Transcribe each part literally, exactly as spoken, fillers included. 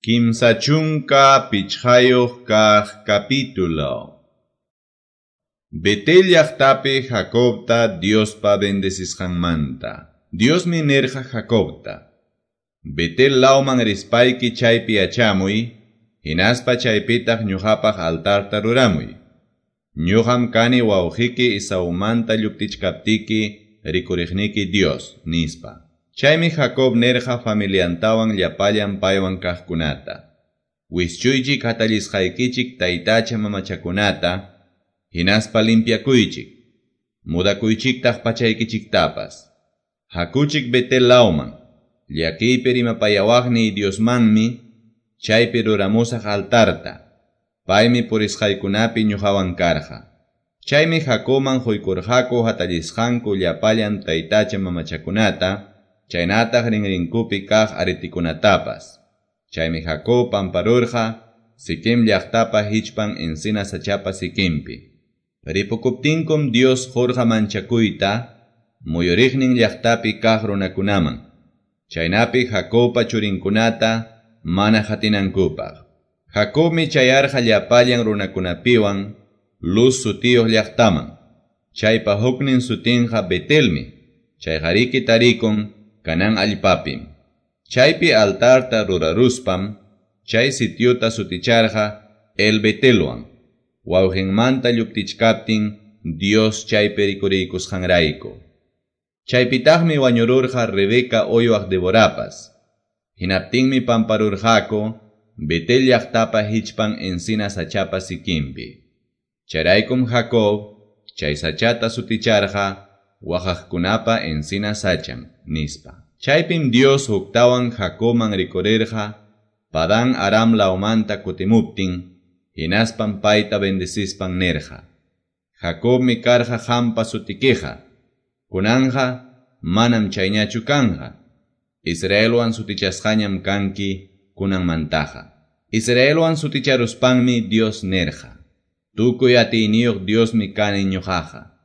Kimsa chunka pichqayuq kaq capítulo. Betel llaqtapi Jacobta Diospa bendecisqanmanta. Diosmi nirqa Jacobta: Betel lawman rispayki chaypi yachamuy, hinaspa chaypitaq ñuqapaq altarta ruramuy. Ñuqam kani wawqiki Esaumanta lluptichkaptiki rikuriqniki Dios, nispa. Chaymi Jacob nirqa familiantawan llapallan paywan kaqkunata: Wischuychik hatallisqaykichik taytacha mamachakunata, hinaspa limpiakuychik, mudakuychiktaq pachaykichiktapas. Hakuchik Betel lawman, llakiypi rimapayawaqniy Diosmanmi, chaypi ruramusaq altarta. Paymi purisqaykunapi ñuqawan karqa. Chaymi Jacobman quykurqaku hatallisqanku llapallan taytacha mamachakunata, chaynataq rinrinkupi kaq aritikunatapas. Chaymi Jacob pamparurqa Siquem llaqtapa hichpan encina sachapa sikinpi. Ripukuptinkum Dios qurqa manchakuyta muyuriqnin llaqtapi kaq runakunaman. Chaynapi Jacobpa churinkunata mana qatinankupaq. Jacobmi chayarqa llapallan runakunapiwan Luz sutiyuq llaqtaman. Chaypa huknin sutinqa Betelmi. Chayqariki tarikun Canaán allpapim. Chaypi altarta ruraruspam chay sitiota suticharqa El Betelwan. Wawqinmanta lluptichkaptin Dios chaypi rikuriykusqanrayku. Chaypitaqmi wañururqa Rebeca uywaq Deborapas. Hinaptinmi pamparurqaku Betel llaqtapa hichpan encina sachapa sikinpi. Chayraykum Jacob chay sachata suticharqa waqaqkunapa encina sachan, nispa. Chaypim Dios huktawan Jacobman rikurirqa Padán Aram lawmanta kutimuptin, hinaspam payta bendecispan nirqa: Jacobmi karqa qampa sutikiqa, kunanqa manam chayñachu kanqa. Israelwan sutichasqañam kanki kunanmantaqa. Israelwan suticharuspanmi Dios nirqa: Tukuy atiyniyuq Diosmi kani ñuqaqa.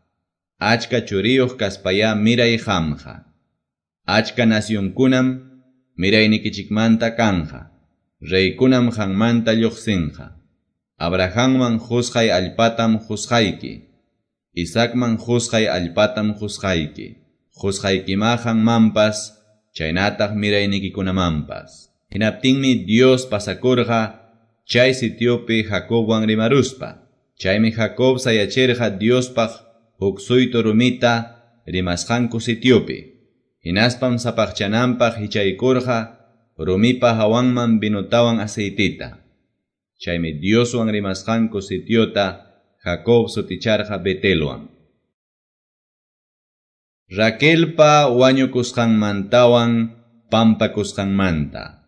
Achka churiyuq kaspayá miray qamqa. Achka nacionkunam miraynikichikmanta kanqa. Reykunam qanmanta lluqsinqa. Abrahamman qusqay allpatam qusqayki. Isaacman qusqay allpatam qusqayki. Qusqaykimá qanmanpas, chaynataq miraynikikunamanpas. Hinaptinmi Dios pasakurqa chay sitiopi Jacobwan rimaruspa. Chaymi Jacob sayachirqa Diospaq huk suytu rumita rimasqanku sitiopi. Hinaspam sapaqchananpaq hichaykurqa rumipa hawanman vinotawan aceitita. Chaymi Dioswan rimasqanku sitiota Jacob suticharqa Betelwan. Raquelpa wañukusqanmantawan pampakusqanmanta.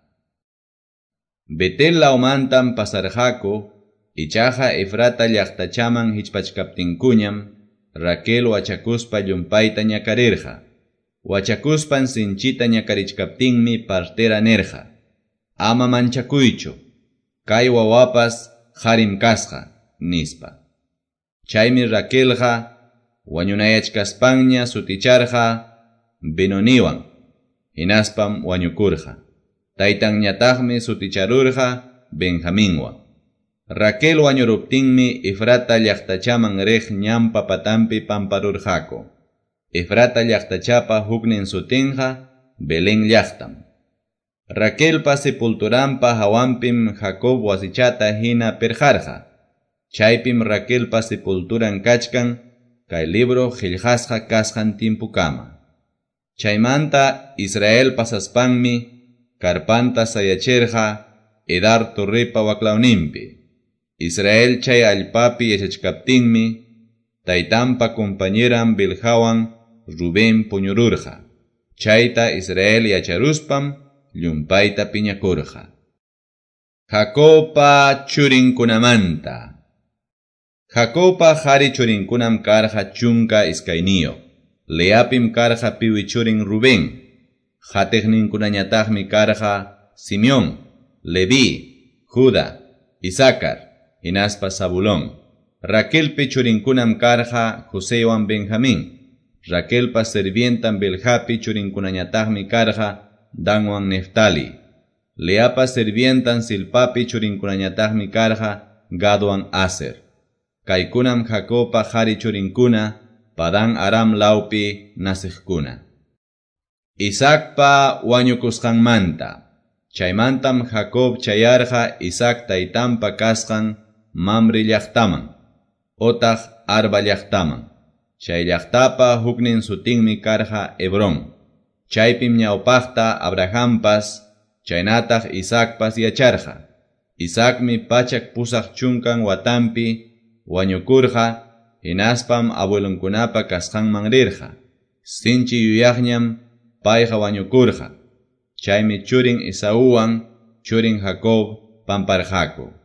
Betel lawmantam pasarqaku, ichaqa Efrata llaqtachaman hichpachkaptinkuñam Raquel wachakuspa llumpayta ñakarirqa. Wachakuspan sinchita ñakarichkaptinmi partera nirqa: Ama manchakuychu, kay wawapas qarim kasqa, nispa. Chaymi Raquelqa wañunayachkaspanña suticharqa Benoniwan, hinaspam wañukurqa. Taytanñataqmi suticharurqa Benjaminwan. Raquel wañuruptinmi Efrata llaqtachaman riq ñanpa patanpi pamparurqaku. Efrata llaqtachapa huknin sutinqa Belén llaqtam. Raquelpa sepulturanpa hawanpim Jacob wasichata hina pirqarqa. Chaypim Raquelpa sepulturan kachkan kay libro qillqasqa kasqan tiempukama. Chaymanta Israel pasaspanmi karpanta sayachirqa Edar torrepa waklawninpi. Israel chay allpapi yachachkaptinmi taytanpa compañeran Bilhawan Rubén puñururqa. Chayta Israel yacharuspam llumpayta piñakurqa. Jacobpa churinkunamanta. Jacobpa qari churinkunam karqa chunka iskayniyuq. Leapim karqa piwi churin Rubén. Qatiqninkunañataqmi karqa Simeón, Leví, Judá, Isaacar, hinaspa Zabulón. Raquelpi churinkunam karqa Josewan Benjamín. Raquelpa servientan Bilhapi churinkunañataqmi karqa Danwan Neftali. Leapa sirvientan Zilpapi churinkunañataqmi karqa Gadwan Aser. Kaykunam Jacobpa qari churinkuna Padan Aram lawpi naciqkuna. Isaacpa wañukusqanmanta. Chaymantam Jacob chayarqa Isaac taytanpa kasqan Mamre llaqtaman, otaq Arba llaqtaman. Chay llaqtapa huknin sutinmi karqa Hebrón. Chaypim ñawpaqta Abrahampas, chaynataq Isaacpas yacharqa. Isaacmi pachak pusaq chunkan watampi wañukurqa, hinaspam abuelonkunapa kasqanman rirqa. Sinchi yuyaqñam payqa wañukurqa. Chaymi churin Esauwan churin Jacob pamparqaku.